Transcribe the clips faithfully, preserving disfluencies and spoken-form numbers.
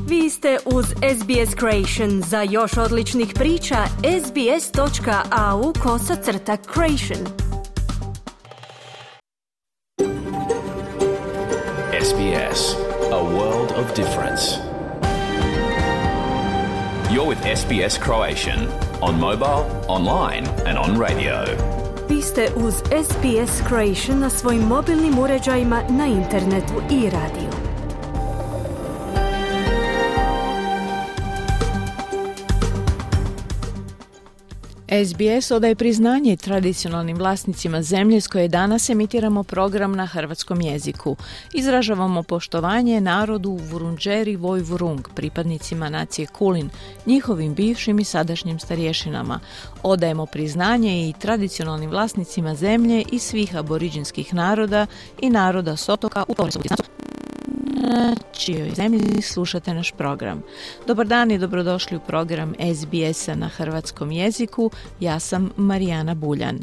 Vi ste uz S B S Creation. Za još odličnih priča, sbs.au kosacrta creation. S B S, a world of difference. You're with S B S Croatian on mobile, online and on radio. Vi ste uz S B S Creation na svojim mobilnim uređajima, na internetu i radiju. S B S odaje priznanje tradicionalnim vlasnicima zemlje s koje danas emitiramo program na hrvatskom jeziku. Izražavamo poštovanje narodu Vurundjeri Vojvurung, pripadnicima nacije Kulin, njihovim bivšim i sadašnjim starješinama. Odajemo priznanje i tradicionalnim vlasnicima zemlje i svih aboriđinskih naroda i naroda s otoka u Torresovu distancu. Na čijoj zemlji slušate naš program. Dobar dan i dobrodošli u program S B S-a na hrvatskom jeziku. Ja sam Marijana Buljan.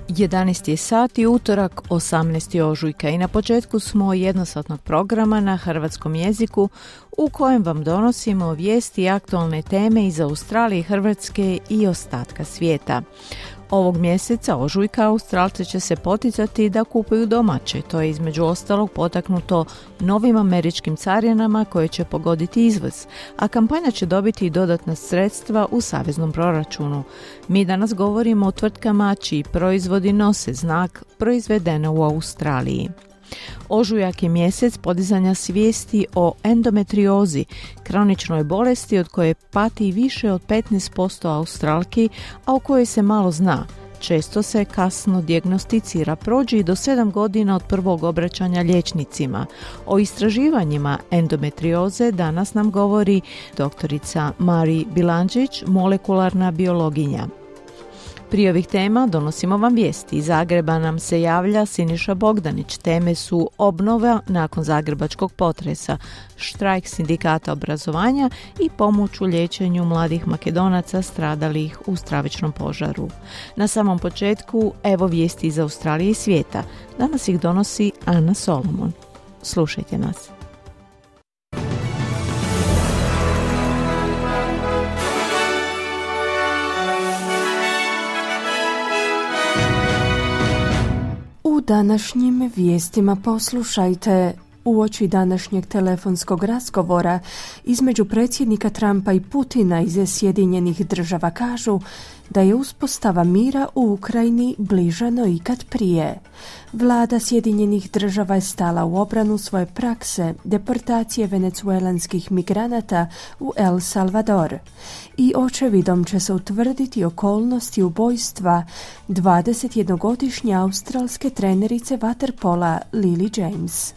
jedanaesti je sat i utorak osamnaesti ožujka i na početku smo jednosatnog programa na hrvatskom jeziku u kojem vam donosimo vijesti i aktualne teme iz Australije, Hrvatske i ostatka svijeta. Ovog mjeseca ožujka Australce će se poticati da kupuju domaće. To je između ostalog potaknuto novim američkim carinama koje će pogoditi izvoz, a kampanja će dobiti i dodatna sredstva u saveznom proračunu. Mi danas govorimo o tvrtkama čiji proizvodi nose znak proizvedeno u Australiji. Ožujak je mjesec podizanja svijesti o endometriozi, kroničnoj bolesti od koje pati više od petnaest posto Australki, a o kojoj se malo zna. Često se kasno dijagnosticira, prođe i do sedam godina od prvog obraćanja liječnicima. O istraživanjima endometrioze danas nam govori doktorica Mari Bilandžić, molekularna biologinja. Prije ovih tema donosimo vam vijesti. Iz Zagreba nam se javlja Siniša Bogdanić. Teme su obnova nakon zagrebačkog potresa, štrajk sindikata obrazovanja i pomoć u liječenju mladih Makedonaca stradalih u stravičnom požaru. Na samom početku, evo vijesti iz Australije i svijeta. Danas ih donosi Ana Solomon. Slušajte nas. U današnjim vijestima poslušajte. Uoči današnjeg telefonskog razgovora između predsjednika Trumpa i Putina iz Sjedinjenih država kažu da je uspostava mira u Ukrajini bliža no ikad prije. Vlada Sjedinjenih država je stala u obranu svoje prakse deportacije venecuelanskih migranata u El Salvador i očevidom će se utvrditi okolnosti ubojstva dvadesetjednogodišnje australske trenerice vaterpola Lily James.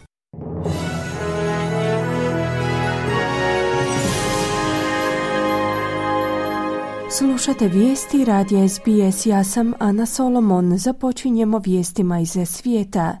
Slušate vijesti radija S B S, ja sam Ana Solomon. Započinjemo vijestima iz svijeta.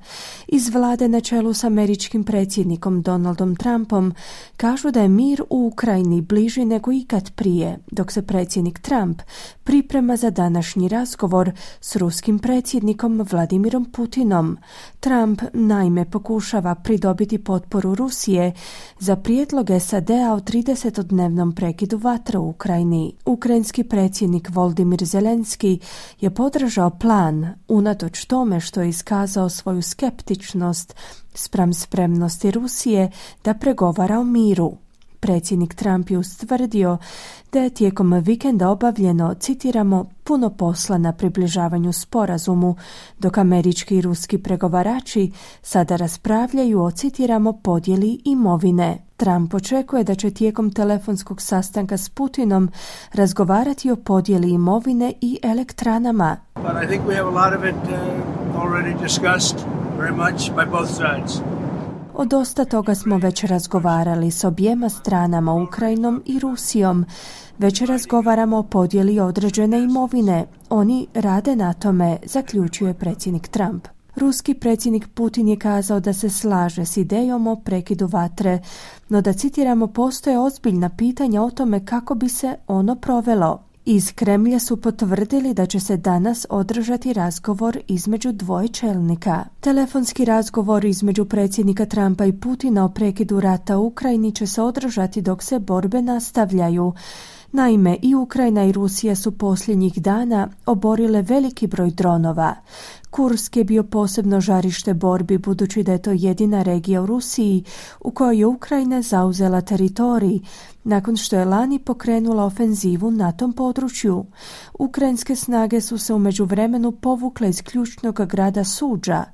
Iz vlade na čelu s američkim predsjednikom Donaldom Trumpom kažu da je mir u Ukrajini bliži nego ikad prije, dok se predsjednik Trump priprema za današnji razgovor s ruskim predsjednikom Vladimirom Putinom. Trump naime pokušava pridobiti potporu Rusije za prijedlog S A D-a o tridesetodnevnom prekidu vatre u Ukrajini. Ukrajinski predsjednik Volodymyr Zelenski je podržao plan unatoč tome što je iskazao svoju skeptičnost spram spremnosti Rusije da pregovara o miru. Predsjednik Trump je ustvrdio da je tijekom vikenda obavljeno, citiramo, puno posla na približavanju sporazumu, dok američki i ruski pregovarači sada raspravljaju o, citiramo, podjeli imovine. Trump očekuje da će tijekom telefonskog sastanka s Putinom razgovarati o podjeli imovine i elektranama. But I think we have a lot of it uh, already discussed very much by both sides. O dosta toga smo već razgovarali s objema stranama, Ukrajinom i Rusijom. Već razgovaramo o podjeli određene imovine. Oni rade na tome, zaključuje predsjednik Trump. Ruski predsjednik Putin je kazao da se slaže s idejom o prekidu vatre, no da, citiramo, postoje ozbiljna pitanja o tome kako bi se ono provelo. Iz Kremlja su potvrdili da će se danas održati razgovor između dvoje čelnika. Telefonski razgovor između predsjednika Trumpa i Putina o prekidu rata u Ukrajini će se održati dok se borbe nastavljaju. Naime, i Ukrajina i Rusija su posljednjih dana oborile veliki broj dronova. Kursk je bio posebno žarište borbi budući da je to jedina regija u Rusiji u kojoj je Ukrajina zauzela teritorij nakon što je lani pokrenula ofenzivu na tom području. Ukrajinske snage su se u međuvremenu povukle iz ključnog grada Suđa.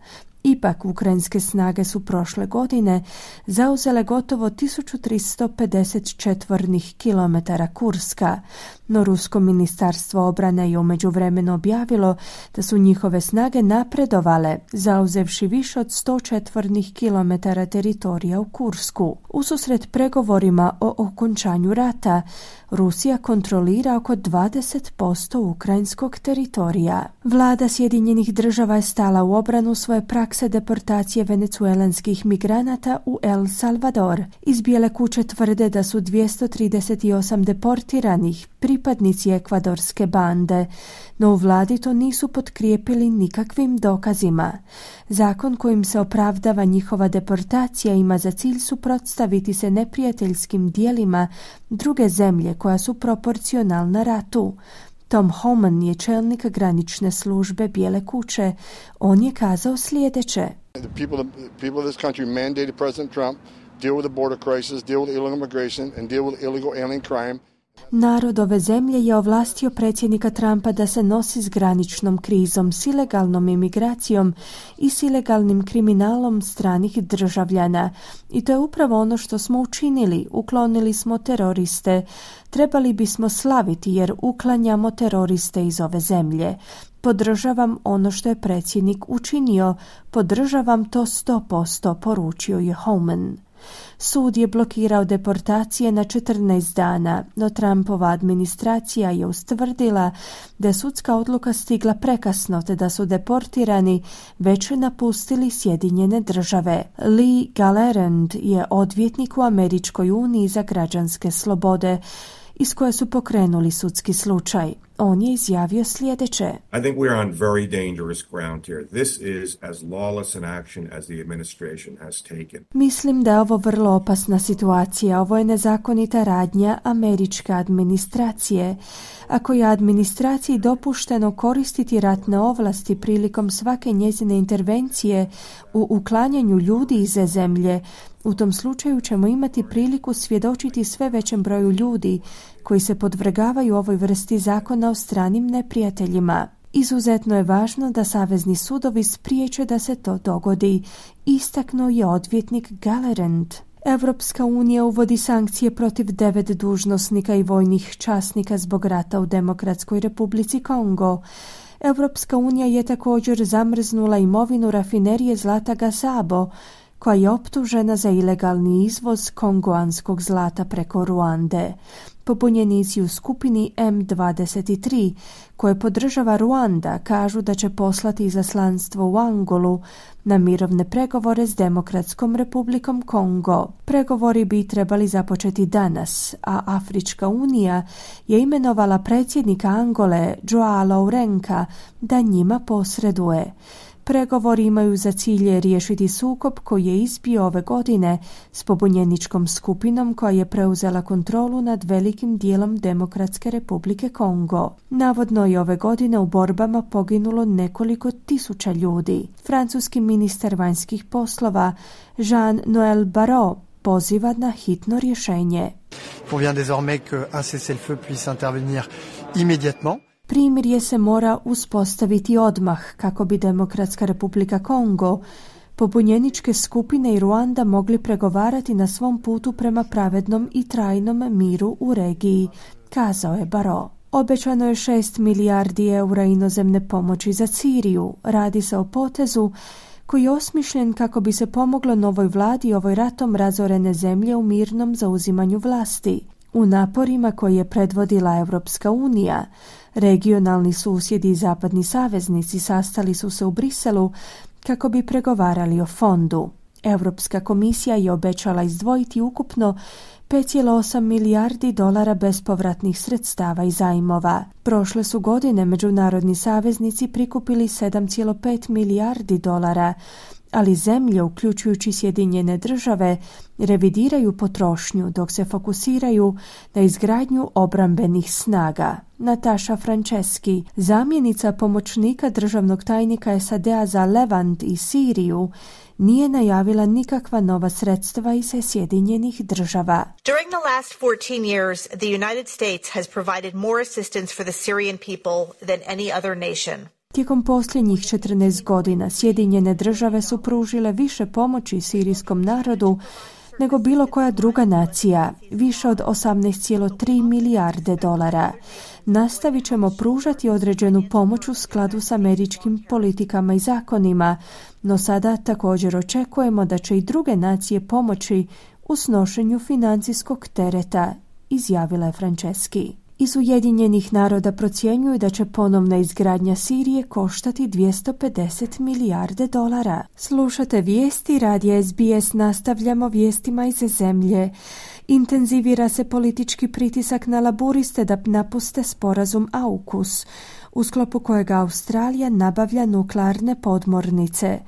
Ipak, ukrajinske snage su prošle godine zauzele gotovo tisuću tristo pedeset četvornih kilometara Kurska, no Rusko ministarstvo obrane je u međuvremenu objavilo da su njihove snage napredovale, zauzevši više od sto četvornih kilometara teritorija u Kursku. Ususret pregovorima o okončanju rata, Rusija kontrolira oko dvadeset posto ukrajinskog teritorija. Vlada Sjedinjenih država je stala u obranu svoje prakse deportacije venecuelanskih migranata u El Salvador. Iz Bijele kuće tvrde da su dvjesto trideset osam deportiranih pripadnici ekvadorske bande, no u vladi to nisu potkrijepili nikakvim dokazima. Zakon kojim se opravdava njihova deportacija ima za cilj suprotstaviti se neprijateljskim dijelima druge zemlje koja su proporcionalna ratu. Tom Homan je čelnik granične službe Bijele kuće. On je kazao sljedeće. The people, the people of this country mandated President Trump deal with the border crisis, deal with illegal immigration and deal with illegal alien crime. Narod ove zemlje je ovlastio predsjednika Trumpa da se nosi s graničnom krizom, s ilegalnom imigracijom i s ilegalnim kriminalom stranih državljana. I to je upravo ono što smo učinili. Uklonili smo teroriste. Trebali bismo slaviti jer uklanjamo teroriste iz ove zemlje. Podržavam ono što je predsjednik učinio. Podržavam to sto posto, poručio je Homan. Sud je blokirao deportacije na četrnaest dana, no Trumpova administracija je ustvrdila da je sudska odluka stigla prekasno te da su deportirani već napustili Sjedinjene države. Lee Gallerand je odvjetnik u Američkoj uniji za građanske slobode, iz koje su pokrenuli sudski slučaj. On je izjavio sljedeće. I think we are on very dangerous ground here. This is as lawless an action as the administration has taken. Mislim da je ovo vrlo opasna situacija. Ovo je nezakonita radnja američke administracije. Ako je administraciji dopušteno koristiti ratne ovlasti prilikom svake njezine intervencije u uklanjanju ljudi iz zemlje, u tom slučaju ćemo imati priliku svjedočiti sve većem broju ljudi koji se podvrgavaju ovoj vrsti zakona o stranim neprijateljima. Izuzetno je važno da savezni sudovi spriječe da se to dogodi, istaknuo je odvjetnik Gallerand. Europska unija uvodi sankcije protiv devet dužnosnika i vojnih časnika zbog rata u Demokratskoj Republici Kongo. Europska unija je također zamrznula imovinu rafinerije Zlata Gasabo, koja je optužena za ilegalni izvoz kongoanskog zlata preko Ruande. Pobunjenici u skupini M dvadeset tri, koje podržava Ruanda, kažu da će poslati izaslanstvo u Angolu na mirovne pregovore s Demokratskom Republikom Kongo. Pregovori bi trebali započeti danas, a Afrička unija je imenovala predsjednika Angole, Joao Lourenca, da njima posreduje. Pregovori imaju za cilj riješiti sukob koji je izbio ove godine s pobunjeničkom skupinom koja je preuzela kontrolu nad velikim dijelom Demokratske Republike Kongo. Navodno je ove godine u borbama poginulo nekoliko tisuća ljudi. Francuski ministar vanjskih poslova Jean-Noël Barrot poziva na hitno rješenje. Convient désormais qu'un cessez-le-feu puisse intervenir immédiatement. Primirje se mora uspostaviti odmah kako bi Demokratska Republika Kongo, pobunjeničke skupine i Ruanda mogli pregovarati na svom putu prema pravednom i trajnom miru u regiji, kazao je Barrot. Obećano je šest milijardi eura inozemne pomoći za Siriju. Radi se o potezu koji je osmišljen kako bi se pomoglo novoj vladi ovoj ratom razorene zemlje u mirnom zauzimanju vlasti. U naporima koje je predvodila Europska unija, regionalni susjedi i zapadni saveznici sastali su se u Briselu kako bi pregovarali o fondu. Europska komisija je obećala izdvojiti ukupno pet zarez osam milijardi dolara bespovratnih sredstava i zajmova. Prošle su godine međunarodni saveznici prikupili sedam zarez pet milijardi dolara, ali zemlje, uključujući Sjedinjene države, revidiraju potrošnju dok se fokusiraju na izgradnju obrambenih snaga. Nataša Franceski, zamjenica pomoćnika državnog tajnika S A D-a za Levant i Siriju, nije najavila nikakva nova sredstva iz Sjedinjenih država. During the last fourteen years, the United States has provided more assistance for the Syrian people than any other nation. Tijekom posljednjih četrnaest godina Sjedinjene države su pružile više pomoći sirijskom narodu nego bilo koja druga nacija, više od osamnaest zarez tri milijarde dolara. Nastavit ćemo pružati određenu pomoć u skladu s američkim politikama i zakonima, no sada također očekujemo da će i druge nacije pomoći u snošenju financijskog tereta, izjavila je Franceski. Iz Ujedinjenih naroda procjenjuju da će ponovna izgradnja Sirije koštati dvjesto pedeset milijarde dolara. Slušate vijesti radija S B S, nastavljamo vijestima iz zemlje. Intenzivira se politički pritisak na laburiste da napuste sporazum AUKUS, u sklopu kojega Australija nabavlja nuklearne podmornice.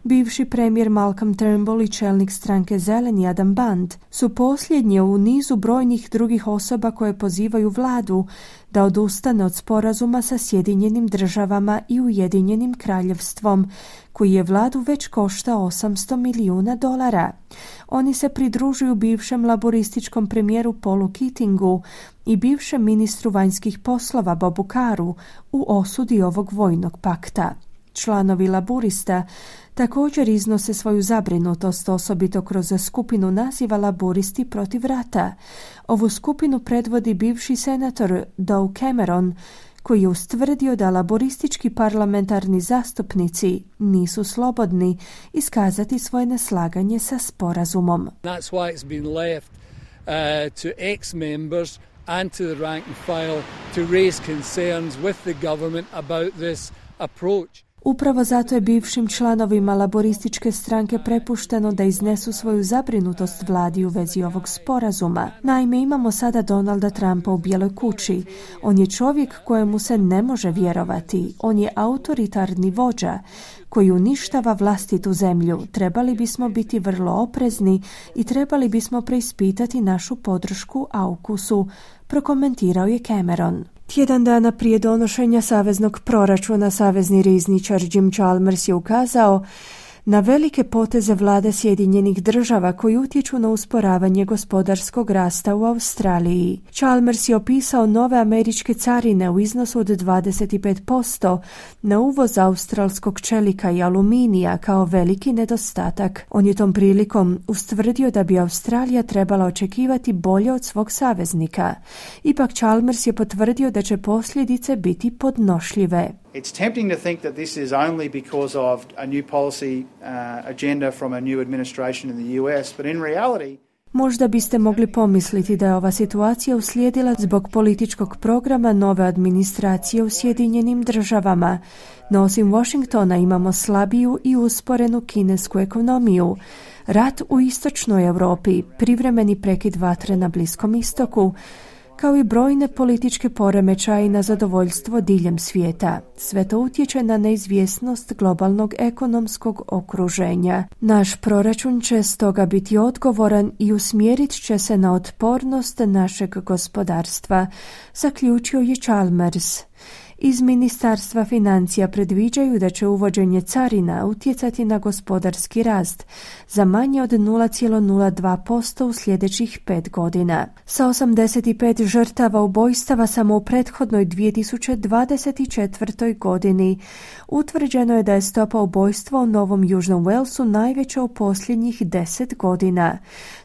Bivši premijer Malcolm Turnbull i čelnik stranke Zeleni Adam Band su posljednji u nizu brojnih drugih osoba koje pozivaju vladu da odustane od sporazuma sa Sjedinjenim državama i Ujedinjenim kraljevstvom, koji je vladu već koštao osamsto milijuna dolara. Oni se pridružuju bivšem laborističkom premijeru Paulu Keatingu i bivšem ministru vanjskih poslova Bobu Carru u osudi ovog vojnog pakta. Članovi laburista također iznose svoju zabrinutost, osobito kroz skupinu naziva Laburisti protiv rata. Ovu skupinu predvodi bivši senator Doug Cameron, koji je ustvrdio da laboristički parlamentarni zastupnici nisu slobodni iskazati svoje neslaganje sa sporazumom. That's why it's been left uh, to ex-members and to the rank and file to raise concerns with the government about this approach. Upravo zato je bivšim članovima laborističke stranke prepušteno da iznesu svoju zabrinutost vladi u vezi ovog sporazuma. Naime, imamo sada Donalda Trumpa u Bijeloj kući. On je čovjek kojemu se ne može vjerovati. On je autoritarni vođa koji uništava vlastitu zemlju. Trebali bismo biti vrlo oprezni i trebali bismo preispitati našu podršku AUKUS-u, prokomentirao je Cameron. Tjedan dana prije donošenja saveznog proračuna, savezni rizničar Jim Chalmers je ukazao na velike poteze vlade Sjedinjenih država koji utječu na usporavanje gospodarskog rasta u Australiji. Chalmers je opisao nove američke carine u iznosu od dvadeset pet posto na uvoz australskog čelika i aluminija kao veliki nedostatak. On je tom prilikom ustvrdio da bi Australija trebala očekivati bolje od svog saveznika. Ipak Chalmers je potvrdio da će posljedice biti podnošljive. It's tempting to think that this is only because of a new policy uh, agenda from a new administration in the U S, but in reality Možda biste mogli pomisliti da je ova situacija uslijedila zbog političkog programa nove administracije u Sjedinjenim državama. No osim Washingtona imamo slabiju i usporenu kinesku ekonomiju, rat u istočnoj Europi, privremeni prekid vatre na Bliskom istoku, kao i brojne političke poremećaje na zadovoljstvo diljem svijeta. Sve to utječe na neizvjesnost globalnog ekonomskog okruženja. Naš proračun će stoga biti odgovoran i usmjerit će se na otpornost našeg gospodarstva, zaključio je Chalmers. Iz Ministarstva financija predviđaju da će uvođenje carina utjecati na gospodarski rast za manje od nula zarez nula dva posto u sljedećih pet godina. Sa osamdeset pet žrtava ubojstava samo u prethodnoj dvije tisuće dvadeset četvrtoj godini utvrđeno je da je stopa ubojstva u Novom Južnom Walesu najveća u posljednjih deset godina.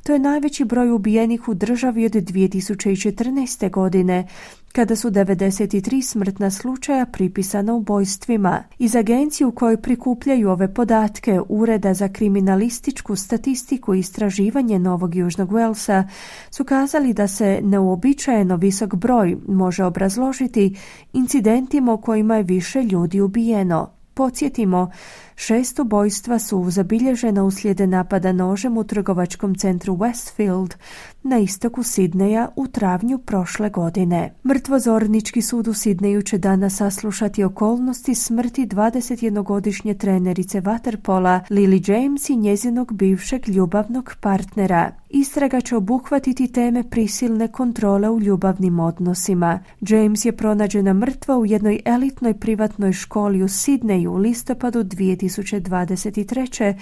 To je najveći broj ubijenih u državi od dvije tisuće četrnaeste godine, kada su devedeset tri smrtna slučaja pripisana ubojstvima. Iz agencije u kojoj prikupljaju ove podatke Ureda za kriminalističku statistiku i istraživanje Novog Južnog Walesa su kazali da se neuobičajeno visok broj može obrazložiti incidentima u kojima je više ljudi ubijeno. Podsjetimo, Šest ubojstva su zabilježena uslijed napada nožem u trgovačkom centru Westfield na istoku Sidneja u travnju prošle godine. Mrtvozornički sud u Sidneju će danas saslušati okolnosti smrti dvadesetjednogodišnje trenerice vaterpola Lily James i njezinog bivšeg ljubavnog partnera. Istraga će obuhvatiti teme prisilne kontrole u ljubavnim odnosima. James je pronađena mrtva u jednoj elitnoj privatnoj školi u Sidneju u listopadu dvije tisuće dvadeset treće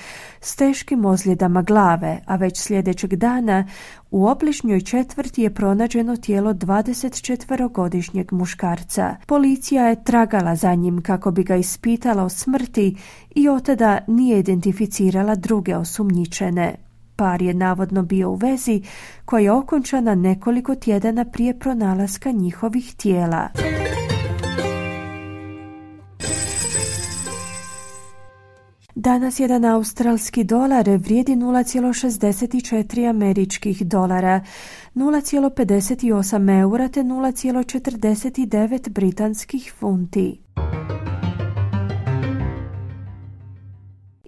s teškim ozljedama glave, a već sljedećeg dana u obližnjoj četvrti je pronađeno tijelo dvadesetčetverogodišnjeg muškarca. Policija je tragala za njim kako bi ga ispitala o smrti i od tada nije identificirala druge osumnjičene. Par je navodno bio u vezi koja je okončana nekoliko tjedana prije pronalaska njihovih tijela. Danas jedan australski dolar vrijedi nula zarez šezdeset četiri američkih dolara, nula zarez pedeset osam eura te nula zarez četrdeset devet britanskih funti.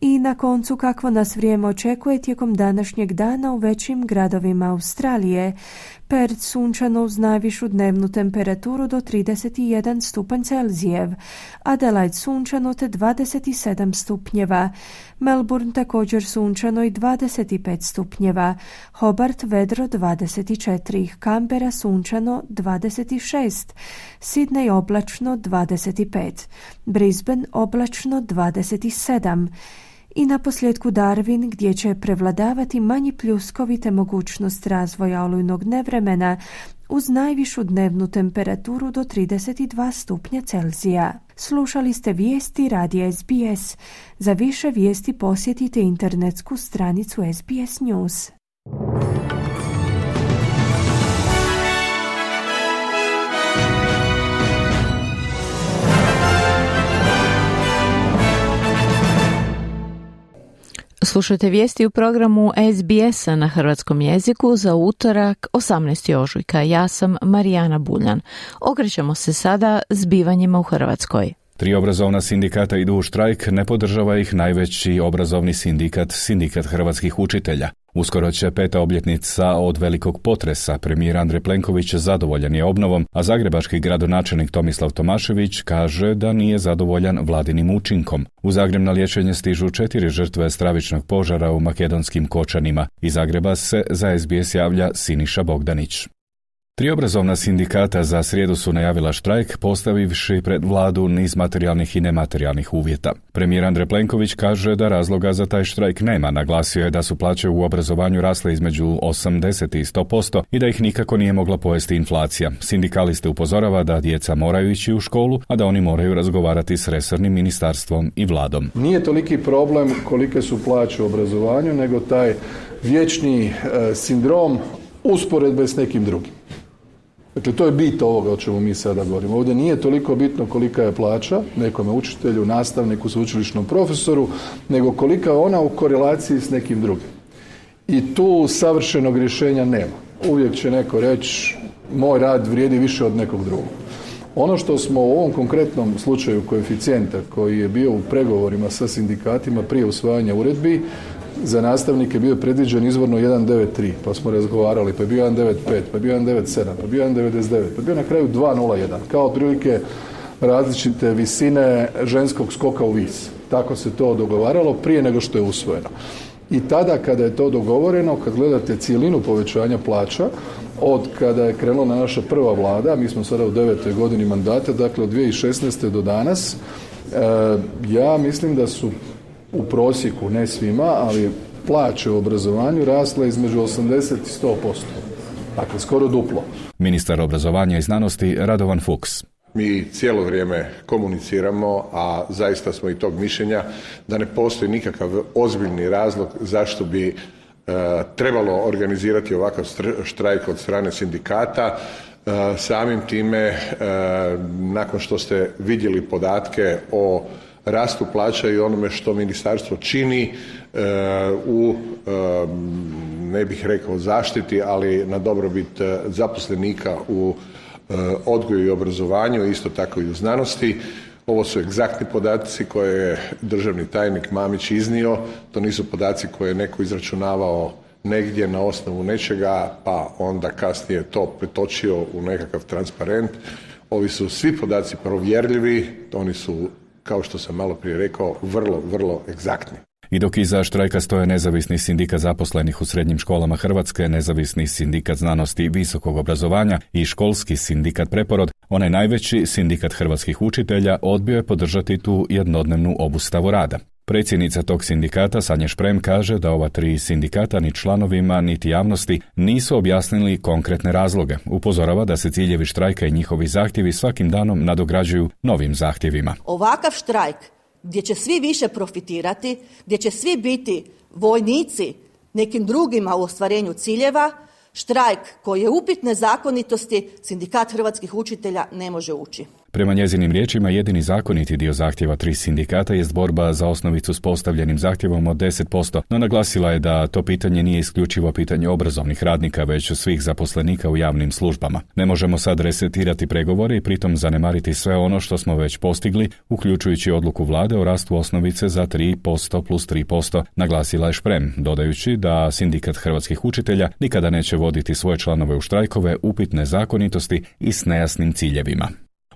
I na koncu kakvo nas vrijeme očekuje tijekom današnjeg dana u većim gradovima Australije. Perth sunčano uz najvišu dnevnu temperaturu do trideset jedan stupanj Celzijev, Adelaide sunčano te dvadeset sedam stupnjeva, Melbourne također sunčano i dvadeset pet stupnjeva, Hobart vedro dvadeset četiri, Canberra sunčano dvadeset šest, Sydney oblačno dvadeset pet, Brisbane oblačno dvadeset sedam, i na posljedku Darwin gdje će prevladavati manji pljuskovi te mogućnost razvoja olujnog nevremena uz najvišu dnevnu temperaturu do trideset dva stupnja Celzija. Slušali ste vijesti radija S B S. Za više vijesti posjetite internetsku stranicu S B S News. Slušajte vijesti u programu S B S-a na hrvatskom jeziku za utorak osamnaestog ožujka. Ja sam Marijana Buljan. Okrećemo se sada zbivanjima u Hrvatskoj. Tri obrazovna sindikata idu u štrajk, ne podržava ih najveći obrazovni sindikat, Sindikat hrvatskih učitelja. Uskoro će peta obljetnica od velikog potresa. Premijer Andrej Plenković zadovoljan je obnovom, a zagrebački gradonačelnik Tomislav Tomašević kaže da nije zadovoljan vladinim učinkom. U Zagreb na liječenje stižu četiri žrtve stravičnog požara u makedonskim Kočanima. Iz Zagreba se za S B S javlja Siniša Bogdanić. Tri obrazovna sindikata za srijedu su najavila štrajk, postavivši pred vladu niz materijalnih i nematerijalnih uvjeta. Premijer Andrej Plenković kaže da razloga za taj štrajk nema. Naglasio je da su plaće u obrazovanju rasle između osamdeset i sto posto i da ih nikako nije mogla pojesti inflacija. Sindikaliste upozorava da djeca moraju ići u školu, a da oni moraju razgovarati s resornim ministarstvom i vladom. Nije toliki problem kolike su plaće u obrazovanju, nego taj vječni e, sindrom usporedbe s nekim drugim. Dakle, to je bit ovoga o čemu mi sada govorimo. Ovdje nije toliko bitno kolika je plaća nekome učitelju, nastavniku, sveučilišnom profesoru, nego kolika je ona u korelaciji s nekim drugim. I tu savršenog rješenja nema. Uvijek će neko reći, moj rad vrijedi više od nekog drugog. Ono što smo u ovom konkretnom slučaju koeficijenta, koji je bio u pregovorima sa sindikatima prije usvajanja uredbi, za nastavnike bio predviđen izvorno jedan zarez devedeset tri, pa smo razgovarali, pa je bio jedan zarez devedeset pet, pa je bio jedan zarez devedeset sedam, pa je bio jedan zarez devedeset devet, pa je bio na kraju dva zarez nula jedan, kao otprilike različite visine ženskog skoka u vis. Tako se to dogovaralo prije nego što je usvojeno. I tada kada je to dogovoreno, kad gledate cijelinu povećanja plaća, od kada je krenula naša prva vlada, mi smo sada u devetoj godini mandata, dakle od dvije tisuće šesnaeste do danas, e, ja mislim da su u prosjeku, ne svima, ali plaće u obrazovanju rasle između osamdeset i sto posto. Dakle, skoro duplo. Ministar obrazovanja i znanosti Radovan Fuchs. Mi cijelo vrijeme komuniciramo, a zaista smo i tog mišljenja da ne postoji nikakav ozbiljni razlog zašto bi e, trebalo organizirati ovakav štrajk od strane sindikata. E, samim time, e, nakon što ste vidjeli podatke o rastu plaća i onome što ministarstvo čini e, u, e, ne bih rekao zaštiti, ali na dobrobit zaposlenika u e, odgoju i obrazovanju, isto tako i u znanosti, Ovo su egzaktni podaci koje je državni tajnik Mamić iznio. To nisu podaci koje je neko izračunavao negdje na osnovu nečega, pa onda kasnije to pretočio u nekakav transparent. Ovi su svi podaci provjerljivi, oni su, kao što sam malo prije rekao, vrlo, vrlo egzaktni. I dok iza štrajka stoje Nezavisni sindikat zaposlenih u srednjim školama Hrvatske, Nezavisni sindikat znanosti i visokog obrazovanja i Školski sindikat Preporod, onaj najveći sindikat hrvatskih učitelja odbio je podržati tu jednodnevnu obustavu rada. Predsjednica tog sindikata, Sanja Šprem, kaže da ova tri sindikata ni članovima niti javnosti nisu objasnili konkretne razloge. Upozorava da se ciljevi štrajka i njihovi zahtjevi svakim danom nadograđuju novim zahtjevima. Ovakav štrajk gdje će svi više profitirati, gdje će svi biti vojnici nekim drugima u ostvarenju ciljeva, štrajk koji je upitne zakonitosti, sindikat hrvatskih učitelja ne može ući. Prema njezinim riječima, jedini zakoniti dio zahtjeva tri sindikata jest borba za osnovicu s postavljenim zahtjevom od deset posto, no naglasila je da to pitanje nije isključivo pitanje obrazovnih radnika, već svih zaposlenika u javnim službama. Ne možemo sad resetirati pregovore i pritom zanemariti sve ono što smo već postigli, uključujući odluku vlade o rastu osnovice za tri posto plus tri posto, naglasila je Šprem, dodajući da sindikat hrvatskih učitelja nikada neće voditi svoje članove u štrajkove upitne zakonitosti i s nejasnim ciljevima.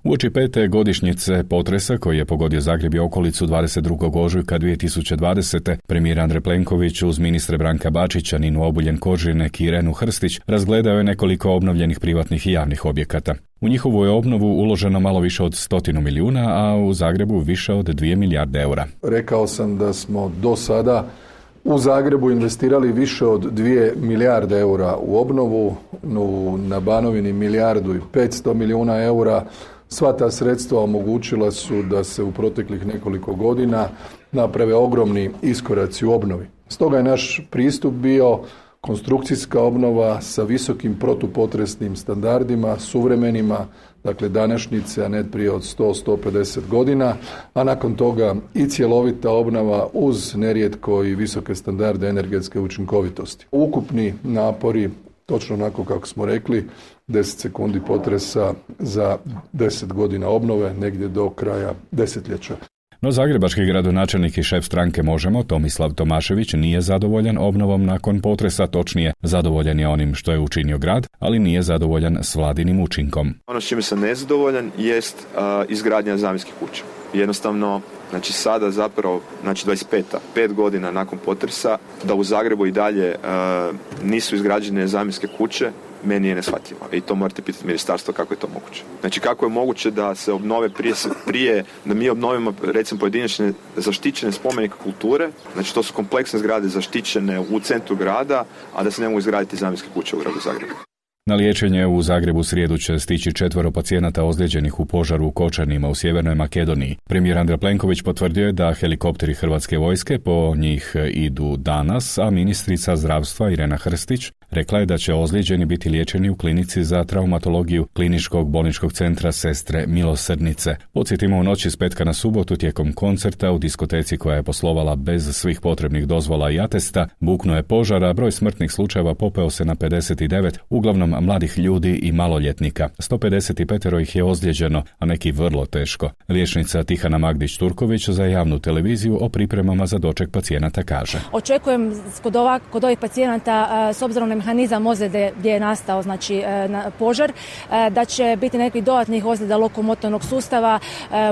Uoči pete godišnjice potresa koji je pogodio Zagreb i okolicu dvadeset drugog ožujka dvije tisuće dvadesete. premijer Andrej Plenković uz ministre Branka Bačića, Ninu Obuljen-Koržinek i Irenu Hrstić razgledao je nekoliko obnovljenih privatnih i javnih objekata. U njihovu je obnovu uloženo malo više od stotinu milijuna, a u Zagrebu više od dvije milijarde eura. Rekao sam da smo do sada u Zagrebu investirali više od dvije milijarde eura u obnovu, na Banovini milijardu i petsto milijuna eura. Sva ta sredstva omogućila su da se u proteklih nekoliko godina naprave ogromni iskoraci u obnovi. Stoga je naš pristup bio konstrukcijska obnova sa visokim protupotresnim standardima, suvremenima, dakle današnjice, a ne prije od sto do sto pedeset godina, a nakon toga i cjelovita obnova uz nerijetko i visoke standarde energetske učinkovitosti. Ukupni napori, točno onako kako smo rekli, deset sekundi potresa za deset godina obnove, negdje do kraja desetljeća. No zagrebački gradonačelnik i šef stranke Možemo, Tomislav Tomašević, nije zadovoljan obnovom nakon potresa, točnije zadovoljan je onim što je učinio grad, ali nije zadovoljan s vladinim učinkom. Ono s čime sam nezadovoljan jest uh, izgradnja zamjenskih kuća. Jednostavno, znači sada zapravo, znači dvadeset peta, pet godina nakon potresa, da u Zagrebu i dalje uh, nisu izgrađene zamjenske kuće, meni je neshvatljivo. I to morate pitati ministarstvo kako je to moguće. Znači kako je moguće da se obnove prije, prije da mi obnovimo recimo pojedinačne zaštićene spomenike kulture, znači to su kompleksne zgrade zaštićene u centru grada, a da se ne mogu izgraditi zamjenske kuće u gradu Zagrebu. Na liječenje u Zagrebu srijedu će stići četvero pacijenata ozlijeđenih u požaru u Kočanima u Sjevernoj Makedoniji. Premijer Andrej Plenković potvrdio je da helikopteri Hrvatske vojske po njih idu danas, a ministrica zdravstva Irena Hrstić rekla je da će ozlijeđeni biti liječeni u klinici za traumatologiju Kliničkog bolničkog centra Sestre Milosrdnice. Podsjetimo, u noći s petka na subotu tijekom koncerta u diskoteci koja je poslovala bez svih potrebnih dozvola i atesta, buknuo je požar, a broj smrtnih slučajeva popeo se na pedeset devet, uglavnom mladih ljudi i maloljetnika. sto pedeset pet ih je ozlijeđeno, a neki vrlo teško. Liječnica Tihana Magdić-Turković za javnu televiziju o pripremama za doček pacijenata kaže: Očekujem kod, ova, kod ovih pacijenata, s obzirom na mehanizam ozljede gdje je nastao znači, požar, da će biti nekih dodatnih ozljeda lokomotornog sustava,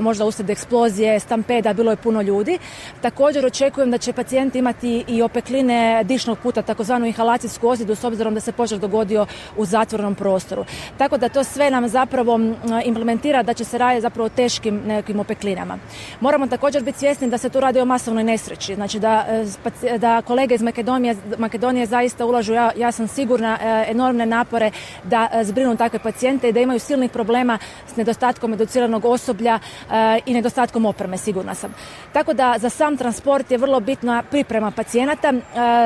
možda uslijed eksplozije, stampeda, bilo je puno ljudi. Također očekujem da će pacijenti imati i opekline dišnog puta, takozvanu inhalacijsku ozljedu, s obzirom da se požar dogodio u zatvorenom prostoru. Tako da to sve nam zapravo implementira da će se raditi zapravo o teškim nekim opeklinama. Moramo također biti svjesni da se tu radi o masovnoj nesreći, znači da, da kolege iz Makedonije, Makedonije zaista ulažu, ja, ja sam sigurna, enormne napore da zbrinu takve pacijente i da imaju silnih problema s nedostatkom educiranog osoblja i nedostatkom opreme, sigurna sam. Tako da za sam transport je vrlo bitna priprema pacijenata,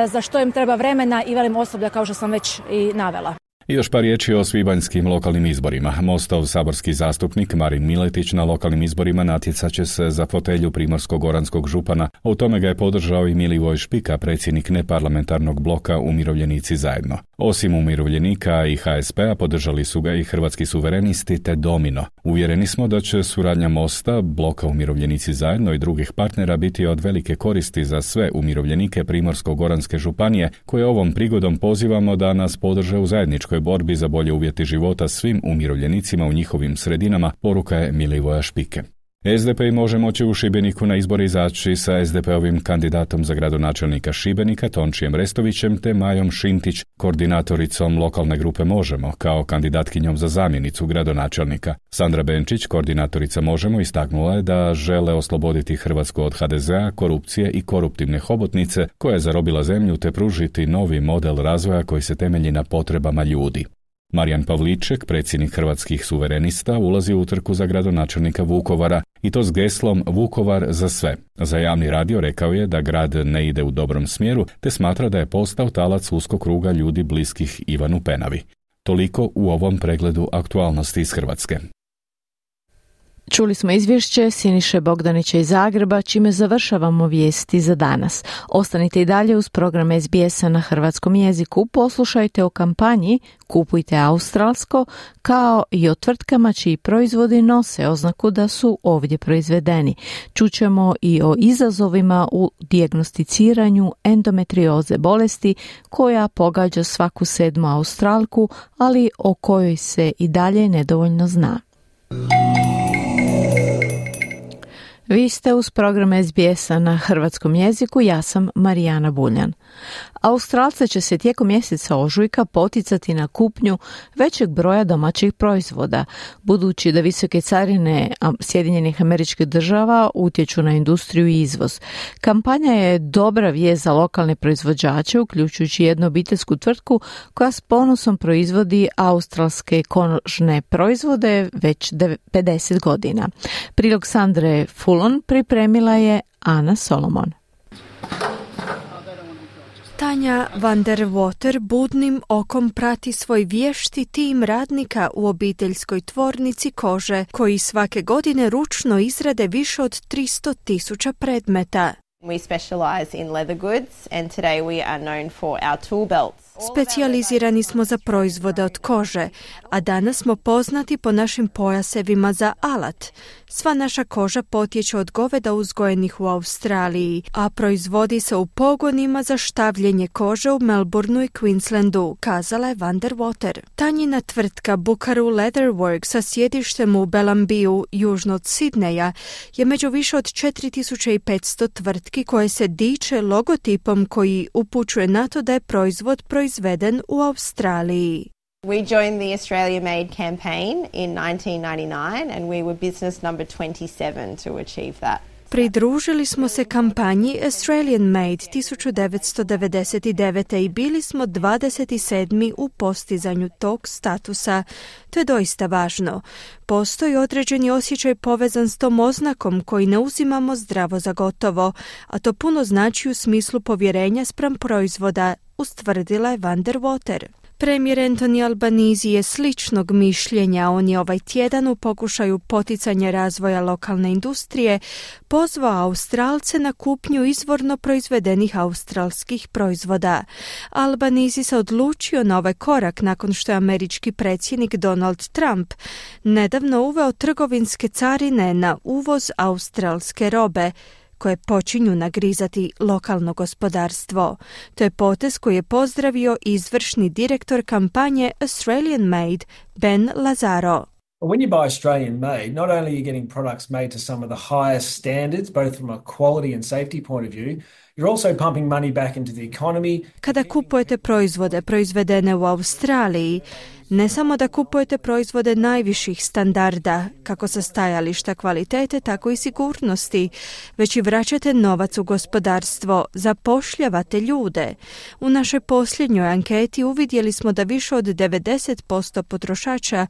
za što im treba vremena i velim osoblja, kao što sam već i navela. I još par riječi o svibanjskim lokalnim izborima. Mostov saborski zastupnik Marin Miletić na lokalnim izborima natjecat će se za fotelju primorsko-goranskog župana, a u tome ga je podržao i Milivoj Špika, predsjednik neparlamentarnog bloka Umirovljenici zajedno. Osim umirovljenika i ha es pe-a podržali su ga i Hrvatski suverenisti te Domino. Uvjereni smo da će suradnja Mosta, bloka Umirovljenici zajedno i drugih partnera biti od velike koristi za sve umirovljenike Primorsko-goranske županije, koje ovom prigodom pozivamo da nas podrže u zajedničkoj borbi za bolje uvjeti života svim umirovljenicima u njihovim sredinama, poruka je Milivoja Špike. es de pe i Možemo će u Šibeniku na izbor izaći sa es de pe-ovim kandidatom za gradonačelnika Šibenika Tončijem Restovićem te Majom Šintić, koordinatoricom lokalne grupe Možemo, kao kandidatkinjom za zamjenicu gradonačelnika. Sandra Benčić, koordinatorica Možemo, istaknula je da žele osloboditi Hrvatsku od ha de zea, korupcije i koruptivne hobotnice koja je zarobila zemlju te pružiti novi model razvoja koji se temelji na potrebama ljudi. Marijan Pavliček, predsjednik Hrvatskih suverenista, ulazi u utrku za gradonačelnika Vukovara i to s geslom Vukovar za sve. Za javni radio rekao je da grad ne ide u dobrom smjeru te smatra da je postao talac uskog kruga ljudi bliskih Ivanu Penavi. Toliko u ovom pregledu aktualnosti iz Hrvatske. Čuli smo izvješće Siniše Bogdanića iz Zagreba, čime završavamo vijesti za danas. Ostanite i dalje uz program es be es-a na hrvatskom jeziku. Poslušajte o kampanji Kupujte australsko, kao i o tvrtkama čiji proizvodi nose oznaku da su ovdje proizvedeni. Čućemo i o izazovima u dijagnosticiranju endometrioze bolesti koja pogađa svaku sedmu Australku, ali o kojoj se i dalje nedovoljno zna. Vi ste uz program es be es-a na hrvatskom jeziku, ja sam Marijana Buljan. Australce će se tijekom mjeseca ožujka poticati na kupnju većeg broja domaćih proizvoda, budući da visoke carine Sjedinjenih Američkih Država utječu na industriju i izvoz. Kampanja je dobra vijest za lokalne proizvođače, uključujući jednu obiteljsku tvrtku koja s ponosom proizvodi australske kožne proizvode već pedeset godina. Prilog Sandre Fulon pripremila je Ana Solomon. Tanja van der Water budnim okom prati svoj vješti tim radnika u obiteljskoj tvornici kože, koji svake godine ručno izrade više od tristo tisuća predmeta. We specialize in leather goods and today we are known for our tool belts. Specijalizirani smo za proizvode od kože, a danas smo poznati po našim pojasevima za alat. Sva naša koža potječe od goveda uzgojenih u Australiji, a proizvodi se u pogonima za štavljenje kože u Melbourneu i Queenslandu, kazala je van der Water. Tanjina tvrtka Bukaru Leather Works sa sjedištem u Belambiju, južno od Sidneja, je među više od četiri tisuće petsto tvrtki koje se diče logotipom koji upućuje na to da je proizvod proizveden u Australiji. We joined the Australia Made campaign in nineteen ninety-nine and we were business number twenty-seven to achieve that. Pridružili smo se kampanji Australian Made tisuću devetsto devedeset devete. i bili smo dvadeset sedmi u postizanju tog statusa. To je doista važno. Postoji određeni osjećaj povezan s tom oznakom koji ne uzimamo zdravo za gotovo, a to puno znači u smislu povjerenja spram proizvoda, ustvrdila je van der Water. Premijer Anthony Albanese je sličnog mišljenja. On je ovaj tjedan u pokušaju poticanja razvoja lokalne industrije pozvao Australce na kupnju izvorno proizvedenih australskih proizvoda. Albanese se odlučio na ovaj korak nakon što je američki predsjednik Donald Trump nedavno uveo trgovinske carine na uvoz australske robe, koje počinju nagrizati lokalno gospodarstvo. To je potez koji je pozdravio izvršni direktor kampanje Australian Made, Ben Lazaro. When you buy Australian made, not only are you getting products made to some of the highest standards, both from a quality and safety point of view, you're also pumping money back into the economy. Kada kupujete proizvode proizvedene u Australiji, ne samo da kupujete proizvode najviših standarda, kako sa stajališta kvalitete, tako i sigurnosti, već i vraćate novac u gospodarstvo, zapošljavate ljude. U našoj posljednjoj anketi uvidjeli smo da više od devedeset posto potrošača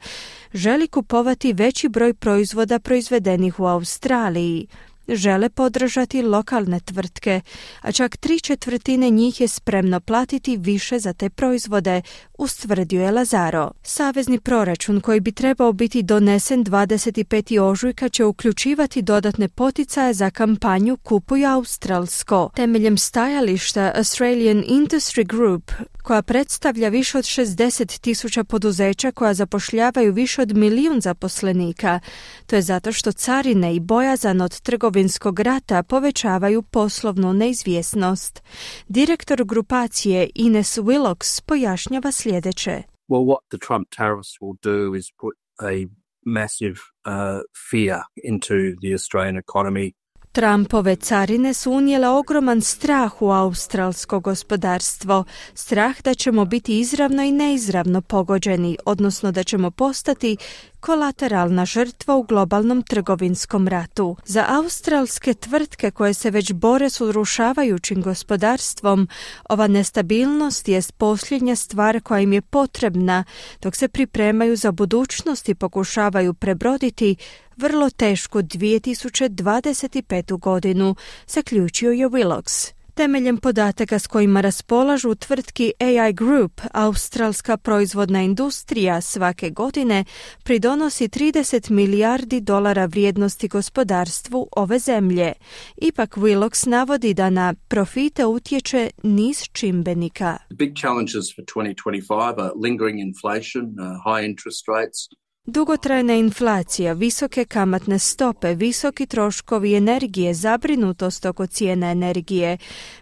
želi kupovati veći broj proizvoda proizvedenih u Australiji. žele podržati lokalne tvrtke, a čak tri četvrtine njih je spremno platiti više za te proizvode, ustvrdio je Lazaro. Savezni proračun koji bi trebao biti donesen dvadeset petog ožujka će uključivati dodatne poticaje za kampanju Kupuj australsko. Temeljem stajališta Australian Industry Group, koja predstavlja više od šezdeset tisuća poduzeća koja zapošljavaju više od milijun zaposlenika. To je zato što carine i bojazan od trgovinskog rata povećavaju poslovnu neizvjesnost. Direktor grupacije Ines Willox pojašnjava sljedeće. Well, what the Trump tariffs will do is put a massive uh, fear into the Australian economy. Trumpove carine su unijele ogroman strah u australsko gospodarstvo, strah da ćemo biti izravno i neizravno pogođeni, odnosno da ćemo postati kolateralna žrtva u globalnom trgovinskom ratu. Za australske tvrtke koje se već bore s urušavajućim gospodarstvom, ova nestabilnost jest posljednja stvar koja im je potrebna dok se pripremaju za budućnost i pokušavaju prebroditi vrlo tešku dvije tisuće dvadeset petu godinu, zaključio je Willox. Temeljem podataka s kojima raspolažu tvrtki A I Group, australska proizvodna industrija svake godine pridonosi trideset milijardi dolara vrijednosti gospodarstvu ove zemlje. Ipak Willox navodi da na profite utječe niz čimbenika. The big challenges for twenty twenty-five are lingering inflation, uh, high interest rates. Dugotrajna inflacija, visoke kamatne stope, visoki troškovi energije, zabrinutost oko cijena energije,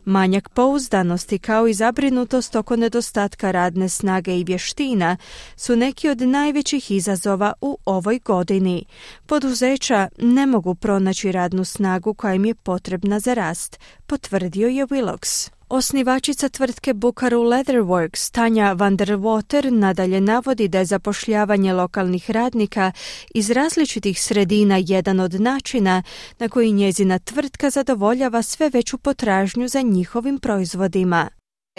manjak pouzdanosti kao i zabrinutost oko nedostatka radne snage i vještina su neki od najvećih izazova u ovoj godini. Poduzeća ne mogu pronaći radnu snagu koja im je potrebna za rast, potvrdio je Willox. Osnivačica tvrtke Bukaru Leatherworks, Tanja van der Water, nadalje navodi da je zapošljavanje lokalnih radnika iz različitih sredina jedan od načina na koji njezina tvrtka zadovoljava sve veću potražnju za njihovim proizvodima.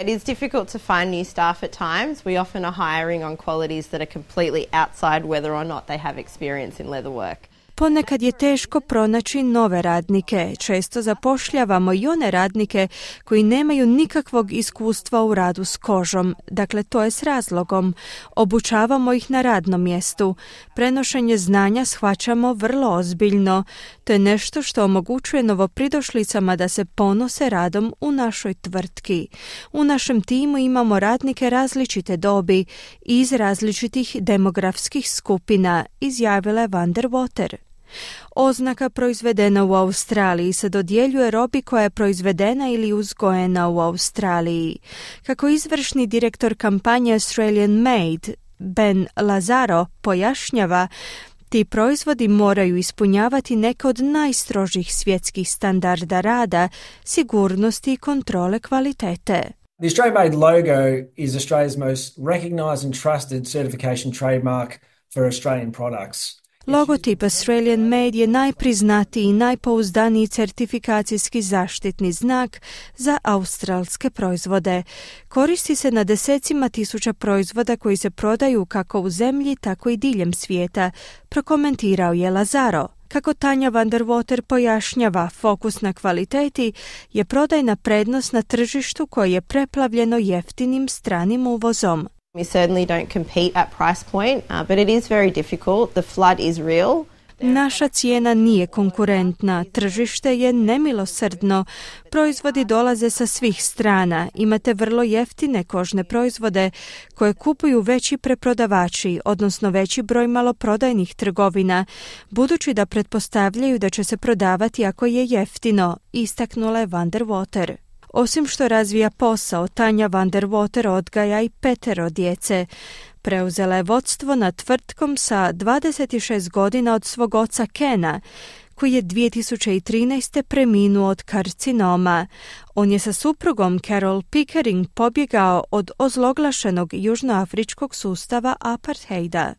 It is difficult to find new staff at times. We often are hiring on qualities that are completely outside whether or not they have experience in leather work. Ponekad je teško pronaći nove radnike. Često zapošljavamo i one radnike koji nemaju nikakvog iskustva u radu s kožom. Dakle, to je s razlogom. Obučavamo ih na radnom mjestu. Prenošenje znanja shvaćamo vrlo ozbiljno. To je nešto što omogućuje novopridošlicama da se ponose radom u našoj tvrtki. U našem timu imamo radnike različite dobi i iz različitih demografskih skupina, izjavila je van der Water. Oznaka proizvedena u Australiji se dodjeljuje robi koja je proizvedena ili uzgojena u Australiji. Kako izvršni direktor kampanje Australian Made, Ben Lazaro, pojašnjava, ti proizvodi moraju ispunjavati neke od najstrožih svjetskih standarda rada, sigurnosti i kontrole kvalitete. The Australian Made logo is Australia's most recognised and trusted certification trademark for Australian products. Logotip Australian Made je najpriznatiji i najpouzdaniji certifikacijski zaštitni znak za australske proizvode. Koristi se na desecima tisuća proizvoda koji se prodaju kako u zemlji, tako i diljem svijeta, prokomentirao je Lazaro. Kako Tanja van der Water pojašnjava, fokus na kvaliteti je prodajna prednost na tržištu koje je preplavljeno jeftinim stranim uvozom. We certainly don't compete at price point, uh, but it is very difficult. The flood is real. Naša cijena nije konkurentna, tržište je nemilosrdno, proizvodi dolaze sa svih strana, imate vrlo jeftine kožne proizvode koje kupuju veći preprodavači, odnosno veći broj maloprodajnih trgovina, budući da pretpostavljaju da će se prodavati ako je jeftino, istaknula je van der Water. Osim što razvija posao, Tanja van der Water odgaja i petero djece. Preuzela je vodstvo nad tvrtkom sa dvadeset šest godina od svog oca Kena, koji je dvije tisuće trinaeste preminuo od karcinoma. On je sa suprugom Carol Pickering pobjegao od ozloglašenog južnoafričkog sustava apartheida.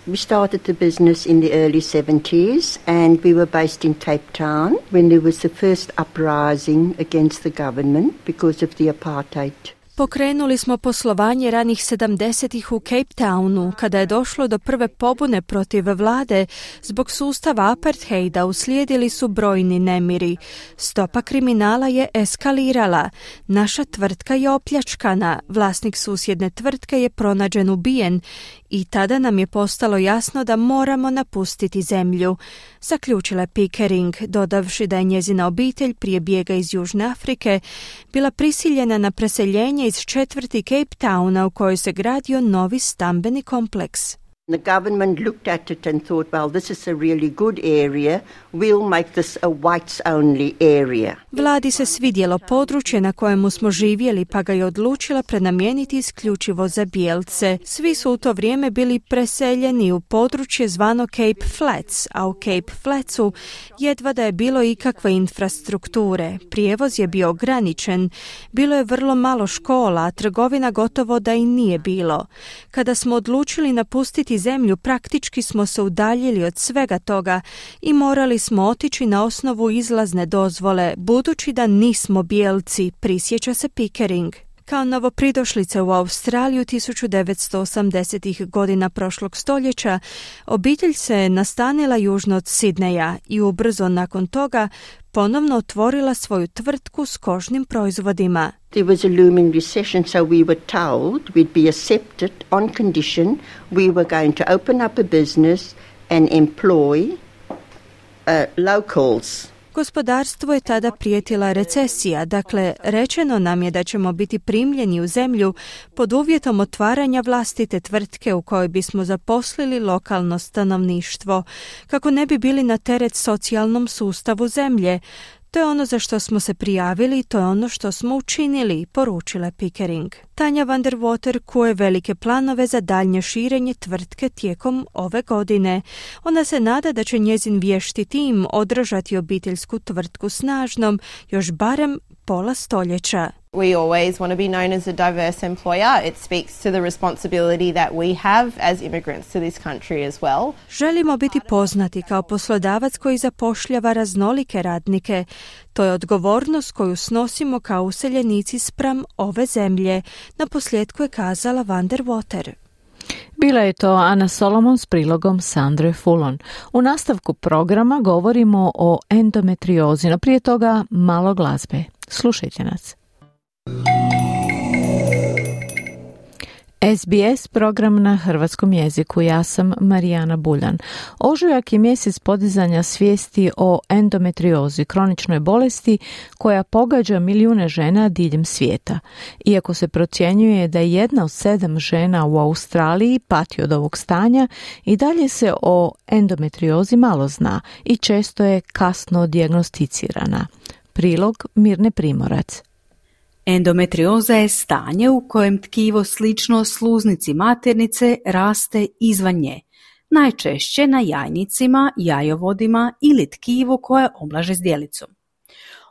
We started the business in the early seventies and we were based in Cape Town when there was the first uprising against the government because of the apartheid Pokrenuli smo poslovanje ranih sedamdesetih u Cape Townu, kada je došlo do prve pobune protiv vlade. Zbog sustava apartheida uslijedili su brojni nemiri. Stopa kriminala je eskalirala. Naša tvrtka je opljačkana. Vlasnik susjedne tvrtke je pronađen ubijen i tada nam je postalo jasno da moramo napustiti zemlju. Zaključila je Pickering, dodavši da je njezina obitelj prije bijega iz Južne Afrike bila prisiljena na preseljenje iz četvrti Cape Towna u kojoj se gradio novi stambeni kompleks. The government looked at it and thought, well, this is a really good area. We'll make this a whites-only area. Vladi se svidjelo područje na kojemu smo živjeli, pa ga je odlučila prenamijeniti isključivo za bijelce. Svi su u to vrijeme bili preseljeni u područje zvano Cape Flats, a u Cape Flatsu jedva da je bilo ikakve infrastrukture. Prijevoz je bio ograničen, bilo je vrlo malo škola, a trgovina gotovo da i nije bilo. Kada smo odlučili napustiti zemlju, praktički smo se udaljili od svega toga i morali smo otići na osnovu izlazne dozvole, budući da nismo bijelci, prisjeća se Pickering. Kao novopridošlice u Australiju tisuću devetsto osamdesetih godina prošlog stoljeća, obitelj se nastanila južno od Sidneja i ubrzo nakon toga ponovno otvorila svoju tvrtku s kožnim proizvodima. There was a looming recession, so we were told we'd be accepted on condition we were going to open up a business and employ uh, locals. Gospodarstvu je tada prijetila recesija, dakle rečeno nam je da ćemo biti primljeni u zemlju pod uvjetom otvaranja vlastite tvrtke u kojoj bismo zaposlili lokalno stanovništvo, kako ne bi bili na teret socijalnom sustavu zemlje. To je ono za što smo se prijavili i to je ono što smo učinili, poručila Pickering. Tanja van der Water kuje velike planove za daljnje širenje tvrtke tijekom ove godine. Ona se nada da će njezin vješti tim održati obiteljsku tvrtku snažnom još barem pola stoljeća. We always want to be known as a diverse employer. It speaks to the responsibility that we have as immigrants to this country as well. Želimo biti poznati kao poslodavac koji zapošljava raznolike radnike. To je odgovornost koju snosimo kao useljenici spram ove zemlje, naposljetku je kazala van der Water. Bila je to Ana Solomon s prilogom Sandre Fulon. U nastavku programa govorimo o endometriozi, no prije toga malo glazbe. Slušajte nas. S B S program na hrvatskom jeziku. Ja sam Marijana Buljan. Ožujak je mjesec podizanja svijesti o endometriozi, kroničnoj bolesti koja pogađa milijune žena diljem svijeta. Iako se procjenjuje da jedna od sedam žena u Australiji pati od ovog stanja, i dalje se o endometriozi malo zna i često je kasno dijagnosticirana. Prilog Mirne Primorac. Endometrioza je stanje u kojem tkivo slično sluznici maternice raste izvan nje, najčešće na jajnicima, jajovodima ili tkivu koje oblaže zdjelicom.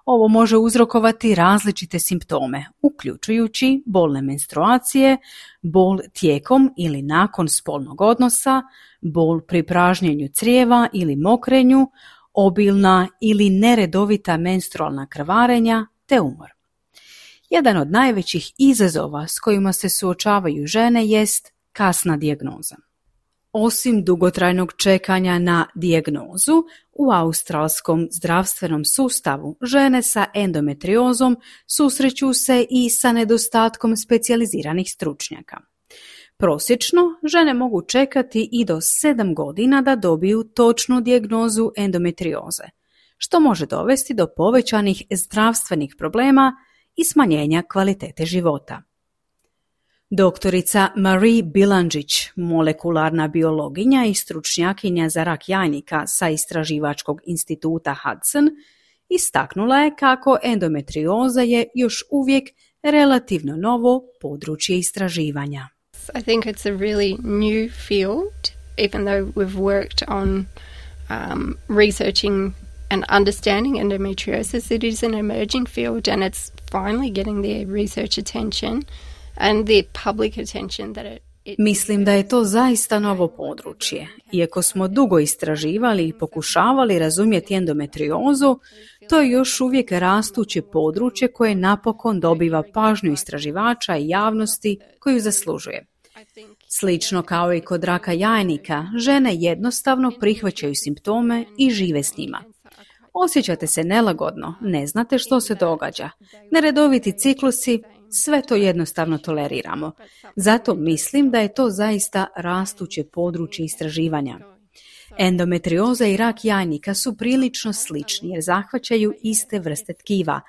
Ovo može uzrokovati različite simptome, uključujući bolne menstruacije, bol tijekom ili nakon spolnog odnosa, bol pri pražnjenju crijeva ili mokrenju, obilna ili neredovita menstrualna krvarenja te umor. Jedan od najvećih izazova s kojima se suočavaju žene jest kasna dijagnoza. Osim dugotrajnog čekanja na dijagnozu, u australskom zdravstvenom sustavu žene sa endometriozom susreću se i sa nedostatkom specijaliziranih stručnjaka. Prosječno, žene mogu čekati i do sedam godina da dobiju točnu dijagnozu endometrioze, što može dovesti do povećanih zdravstvenih problema i smanjenja kvalitete života. Doktorica Marie Bilandžić, molekularna biologinja i stručnjakinja za rak jajnika sa istraživačkog instituta Hudson, istaknula je kako endometrioza je još uvijek relativno novo područje istraživanja. I think it's a really new field, even though we've worked on um, researching and understanding endometriosis. It is an emerging field and it's finally getting the research attention and the public attention that it Mislim da je to zaista novo područje. Iako smo dugo istraživali i pokušavali razumjeti endometriozu, to je još uvijek rastuće područje koje napokon dobiva pažnju istraživača i javnosti koju zaslužuje. Slično kao i kod raka jajnika, žene jednostavno prihvaćaju simptome i žive s njima. Osjećate se nelagodno, ne znate što se događa. Neredoviti ciklusi, sve to jednostavno toleriramo. Zato mislim da je to zaista rastuće područje istraživanja. Endometrioza i rak jajnika su prilično slični jer zahvaćaju iste vrste tkiva,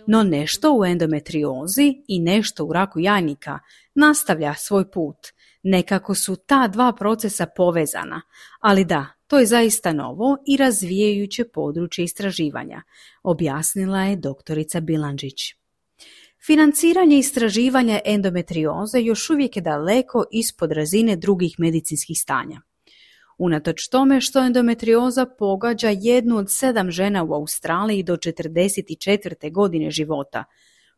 no nešto u endometriozi i nešto u raku jajnika nastavlja svoj put. Nekako su ta dva procesa povezana, ali da, to je zaista novo i razvijajuće područje istraživanja, objasnila je doktorica Bilandžić. Financiranje istraživanja endometrioze još uvijek je daleko ispod razine drugih medicinskih stanja. Unatoč tome što endometrioza pogađa jednu od sedam žena u Australiji do četrdeset četvrte godine života,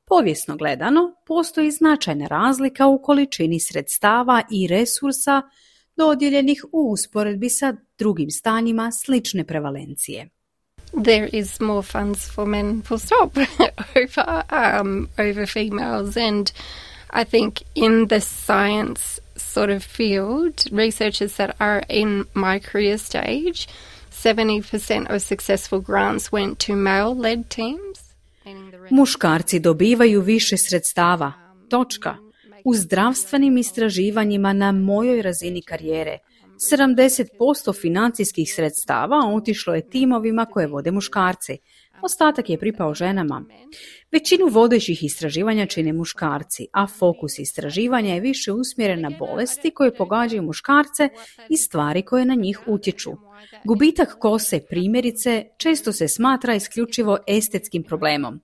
povijesno gledano postoji značajna razlika u količini sredstava i resursa dodijeljenih u usporedbi sa drugim stanjima slične prevalencije. There is more funds for men, full stop, over, um, over females. And I think in the science sort of field, researchers that are in my career stage, seventy percent of successful grants went to male-led teams. Muškarci dobivaju više sredstava. Točka. U zdravstvenim istraživanjima na mojoj razini karijere sedamdeset posto financijskih sredstava otišlo je timovima koje vode muškarci. Ostatak je pripao ženama. Većinu vodećih istraživanja čine muškarci, a fokus istraživanja je više usmjeren na bolesti koje pogađaju muškarce i stvari koje na njih utječu. Gubitak kose, primjerice, često se smatra isključivo estetskim problemom.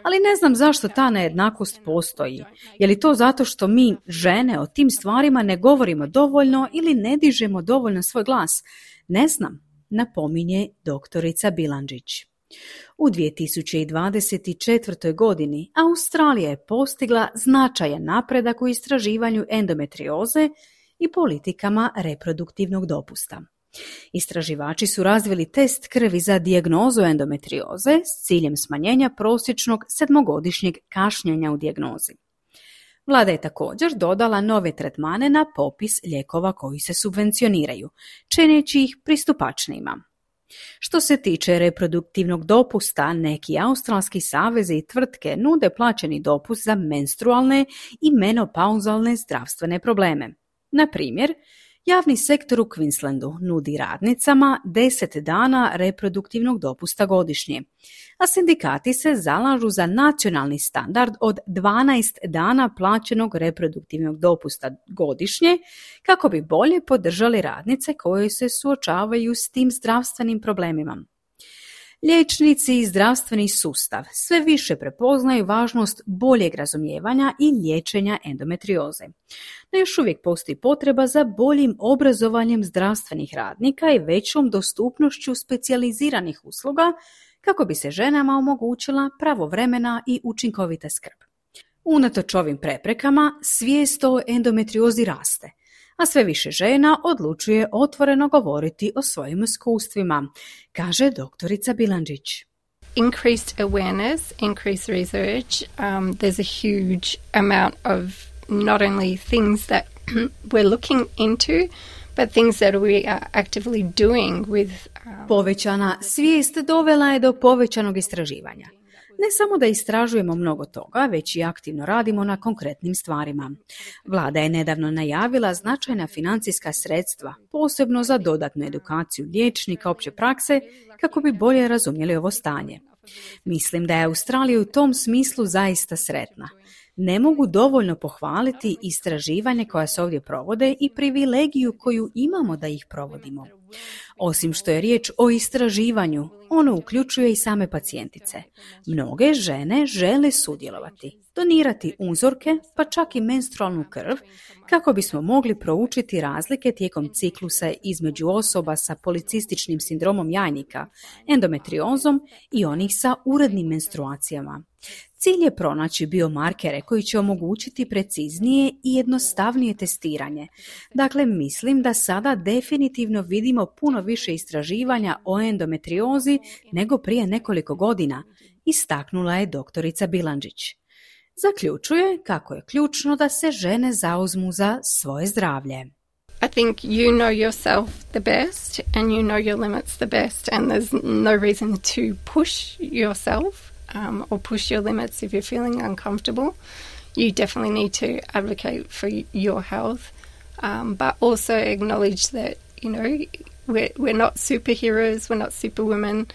Ali ne znam zašto ta nejednakost postoji. Je li to zato što mi, žene, o tim stvarima ne govorimo dovoljno ili ne dižemo dovoljno svoj glas? Ne znam, napominje doktorica Bilandžić. U dvije tisuće dvadeset četvrtoj. godini Australija je postigla značajan napredak u istraživanju endometrioze i politikama reproduktivnog dopusta. Istraživači su razvili test krvi za dijagnozu endometrioze s ciljem smanjenja prosječnog sedmogodišnjeg kašnjenja u dijagnozi. Vlada je također dodala nove tretmane na popis lijekova koji se subvencioniraju, čineći ih pristupačnijima. Što se tiče reproduktivnog dopusta, neki australski savezi i tvrtke nude plaćeni dopust za menstrualne i menopauzalne zdravstvene probleme. Na primjer, javni sektor u Queenslandu nudi radnicama deset dana reproduktivnog dopusta godišnje, a sindikati se zalažu za nacionalni standard od dvanaest dana plaćenog reproduktivnog dopusta godišnje kako bi bolje podržali radnice koje se suočavaju s tim zdravstvenim problemima. Liječnici i zdravstveni sustav sve više prepoznaju važnost boljeg razumijevanja i liječenja endometrioze. No još uvijek postoji potreba za boljim obrazovanjem zdravstvenih radnika i većom dostupnošću specijaliziranih usluga kako bi se ženama omogućila pravovremena i učinkovita skrb. Unatoč ovim preprekama, svijest o endometriozi raste, a sve više žena odlučuje otvoreno govoriti o svojim iskustvima, kaže doktorica Bilandžić. Increased awareness, increased research, um, there's a huge amount of not only things that we're looking into, but things that we are actively doing with... Um... Povećana svijest dovela je do povećanog istraživanja. Ne samo da istražujemo mnogo toga, već i aktivno radimo na konkretnim stvarima. Vlada je nedavno najavila značajna financijska sredstva, posebno za dodatnu edukaciju liječnika opće prakse, kako bi bolje razumjeli ovo stanje. Mislim da je Australija u tom smislu zaista sretna. Ne mogu dovoljno pohvaliti istraživanje koja se ovdje provode i privilegiju koju imamo da ih provodimo. Osim što je riječ o istraživanju, ono uključuje i same pacijentice. Mnoge žene žele sudjelovati, donirati uzorke, pa čak i menstrualnu krv, kako bismo mogli proučiti razlike tijekom ciklusa između osoba sa policističnim sindromom jajnika, endometriozom i onih sa urednim menstruacijama. Cilj je pronaći biomarkere koji će omogućiti preciznije i jednostavnije testiranje. Dakle, mislim da sada definitivno vidimo puno više istraživanja o endometriozi nego prije nekoliko godina, istaknula je doktorica Bilandžić. Zaključuje kako je ključno da se žene zauzmu za svoje zdravlje. I think you know yourself the best and you know your limits the best, and there's no reason to push yourself um, or push your limits if you're feeling uncomfortable. You definitely need to advocate for your health, um, but also acknowledge that, you know, we're, we're not superheroes, we're not superwomen.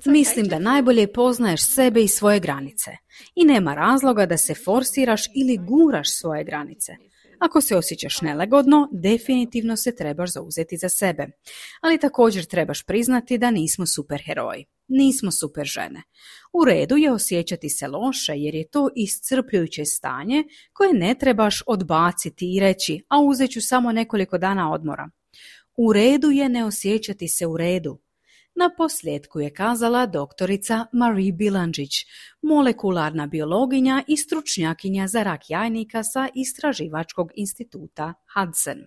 Mislim da najbolje poznaješ sebe i svoje granice i nema razloga da se forsiraš ili guraš svoje granice. Ako se osjećaš nelagodno, definitivno se trebaš zauzeti za sebe. Ali također trebaš priznati da nismo superheroji. Nismo super žene. U redu je osjećati se loše jer je to iscrpljujuće stanje koje ne trebaš odbaciti i reći, a uzet ću samo nekoliko dana odmora. U redu je ne osjećati se u redu. Na posljedku je kazala doktorica Marie Bilandžić, molekularna biologinja i stručnjakinja za rak jajnika sa Istraživačkog instituta Hudson.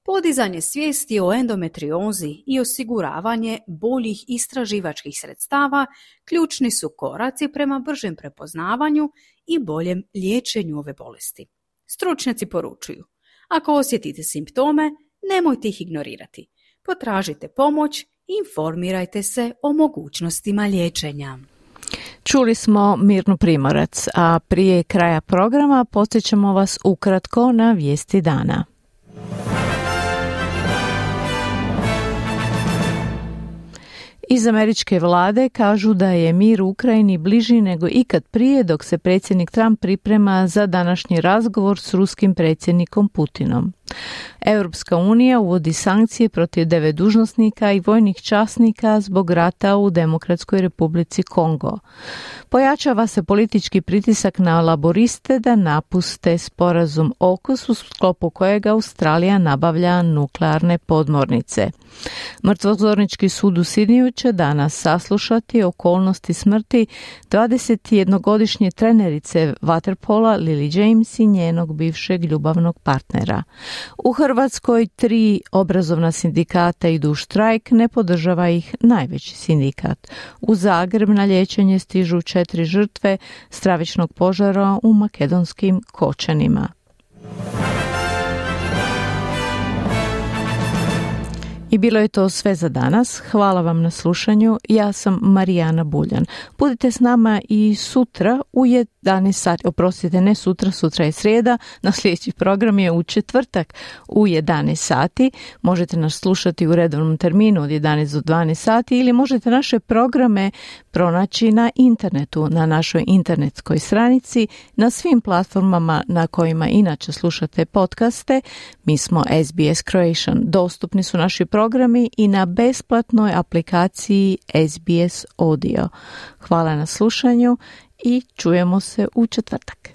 Podizanje svijesti o endometriozi i osiguravanje boljih istraživačkih sredstava ključni su koraci prema bržem prepoznavanju i boljem liječenju ove bolesti. Stručnjaci poručuju, ako osjetite simptome, nemojte ih ignorirati. Potražite pomoć, informirajte se o mogućnostima liječenja. Čuli smo Mirnu Primorac, a prije kraja programa podsjećamo vas ukratko na vijesti dana. Iz američke vlade kažu da je mir u Ukrajini bliži nego ikad prije dok se predsjednik Trump priprema za današnji razgovor s ruskim predsjednikom Putinom. Europska unija uvodi sankcije protiv devet dužnosnika i vojnih časnika zbog rata u Demokratskoj Republici Kongo. Pojačava se politički pritisak na laboriste da napuste sporazum O K U S u sklopu kojega Australija nabavlja nuklearne podmornice. Mrtvozornički sud u Sidniju će danas saslušati okolnosti smrti dvadesetjednogodišnje trenerice vaterpola Lily James i njenog bivšeg ljubavnog partnera. U Hrvatskoj tri obrazovna sindikata idu u štrajk, ne podržava ih najveći sindikat. U Zagreb na liječenje stižu četiri žrtve stravičnog požara u makedonskim Kočanima. I bilo je to sve za danas. Hvala vam na slušanju. Ja sam Marijana Buljan. Budite s nama i sutra u jedanaest sati. Oprostite, ne sutra, sutra je srijeda. Na sljedeći program je u četvrtak u jedanaest sati. Možete nas slušati u redovnom terminu od jedanaest do dvanaest sati ili možete naše programe pronaći na internetu, na našoj internetskoj stranici, na svim platformama na kojima inače slušate podcaste. Mi smo S B S Croatian. Dostupni su naši programi i na besplatnoj aplikaciji S B S Audio. Hvala na slušanju i čujemo se u četvrtak.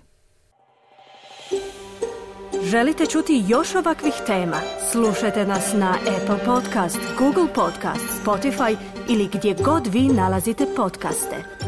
Želite čuti još ovakvih tema? Slušajte nas na Apple Podcast, Google Podcast, Spotify ili gdje god vi nalazite podcaste.